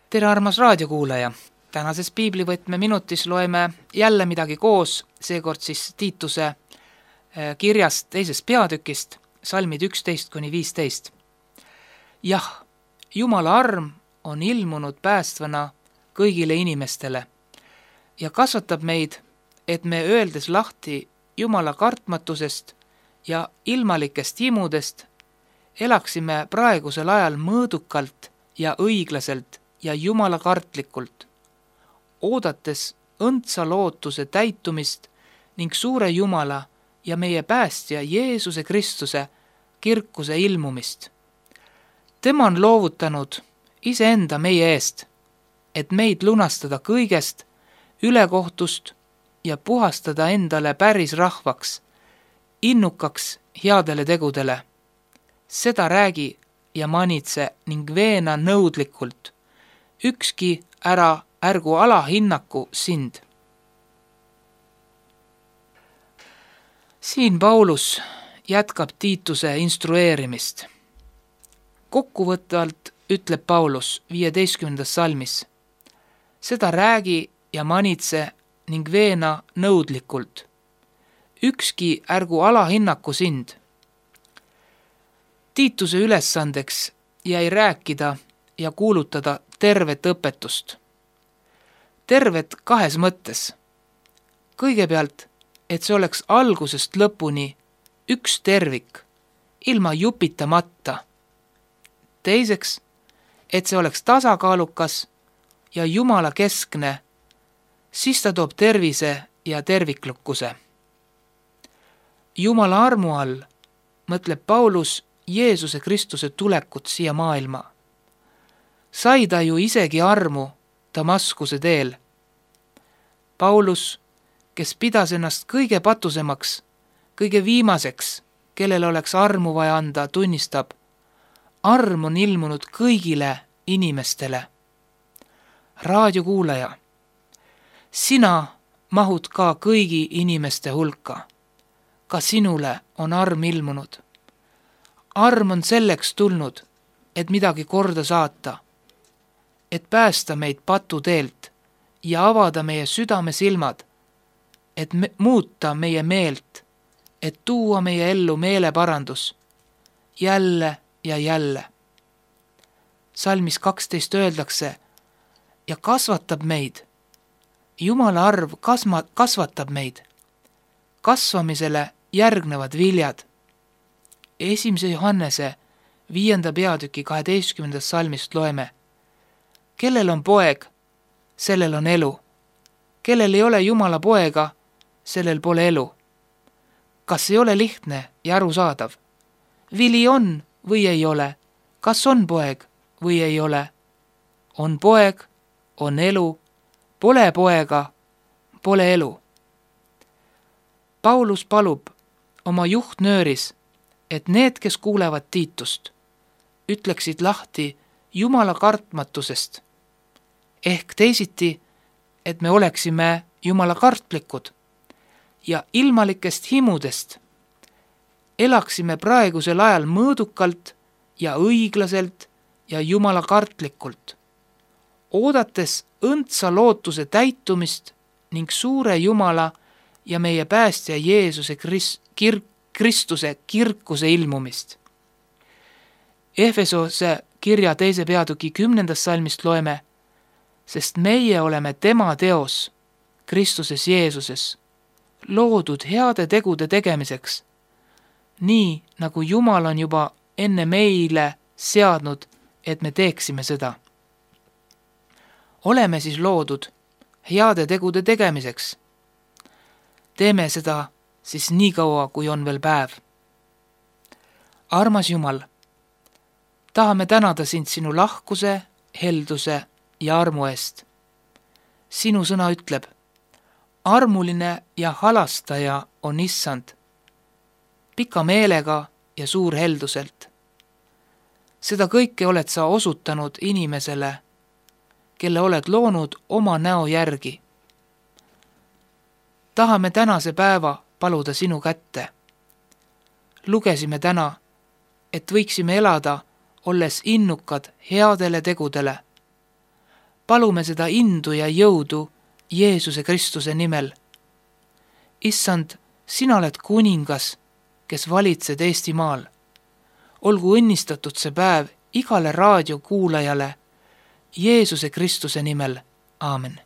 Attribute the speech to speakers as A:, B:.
A: Tere, armas raadiokuulaja! Tänases piiblivõtme minutis loeme jälle midagi koos, seekord siis Tiituse kirjast teisest peatükist, salmid 11–15. Jah, Jumala arm on ilmunud päästvana kõigile inimestele ja kasvatab meid, et me öeldes lahti Jumala kartmatusest ja ilmalikest himudest, elaksime praegusel ajal mõõdukalt ja õiglaselt ja Jumala kartlikult, oodates õndsa lootuse täitumist ning suure Jumala ja meie päästja Jeesuse Kristuse kirkuse ilmumist. Tema on loovutanud iseenda meie eest, et meid lunastada kõigest, ülekohtust ja puhastada endale päris rahvaks, innukaks headele tegudele. Seda räägi ja manitse ning veena nõudlikult. Ükski ärgu alahinnaku sind. Siin Paulus jätkab Tiituse instrueerimist. Kokkuvõtvalt ütleb Paulus 15. salmis. Seda räägi ja manitse ning veena nõudlikult. Ükski ärgu alahinnaku sind. Tiituse ülesandeks jäi rääkida ja kuulutada tervet õpetust. Tervet kahes mõttes. Kõigepealt, et see oleks algusest lõpuni üks tervik, ilma jupitamata. Teiseks, et see oleks tasakaalukas ja Jumala keskne, siis ta toob tervise ja terviklukkuse. Jumala armu all mõtleb Paulus Jeesuse Kristuse tulekut siia maailma. Sai ta ju isegi armu Damaskuse teel. Paulus, kes pidas ennast kõige patusemaks, kõige viimaseks, kellele oleks armu vaja anda, tunnistab, arm on ilmunud kõigile inimestele. Raadiokuulaja, sina mahud ka kõigi inimeste hulka. Ka sinule on arm ilmunud. Arm on selleks tulnud, et midagi korda saata, et päästa meid patuteelt ja avada meie südame silmad, et muuta meie meelt, et tuua meie ellu meeleparandus jälle ja jälle. Salmis 12 öeldakse, ja kasvatab meid. Jumala arv kasvatab meid. Kasvamisele järgnevad viljad. 1. Johannese 5. peatüki 12. salmist loeme. Kellel on poeg, sellel on elu. Kellel ei ole Jumala poega, sellel pole elu. Kas ei ole lihtne ja arusaadav? Vili on või ei ole? Kas on poeg või ei ole? On poeg, on elu, pole poega, pole elu. Paulus palub oma juhtnööris, et need, kes kuulevad Tiitust, ütleksid lahti Jumala kartmatusest, ehk teisiti, et me oleksime Jumala kartlikud ja ilmalikest himudest elaksime praegusel ajal mõõdukalt ja õiglaselt ja Jumala kartlikult, oodates õndsa lootuse täitumist ning suure Jumala ja meie päästja Jeesuse Kristuse kirkuse ilmumist. Efesose kirja 2. peatüki 10. salmist loeme, sest meie oleme tema teos Kristuses Jeesuses, loodud heade tegude tegemiseks, nii nagu Jumal on juba enne meile seadnud, et me teeksime seda. Oleme siis loodud heade tegude tegemiseks. Teeme seda siis nii kaua, kui on veel päev. Armas Jumal, tahame tänada sind sinu lahkuse, helduse ja armu eest. Sinu sõna ütleb, armuline ja halastaja on issand, pika meelega ja suur helduselt. Seda kõike oled sa osutanud inimesele, kelle oled loonud oma näo järgi. Tahame tänase päeva paluda sinu kätte. Lugesime täna, et võiksime elada, olles innukad headele tegudele. palume seda indu ja jõudu Jeesuse Kristuse nimel. Issand, sina oled kuningas, kes valitsed Eestimaal. Olgu õnnistatud see päev igale raadiokuulajale Jeesuse Kristuse nimel. Aamen.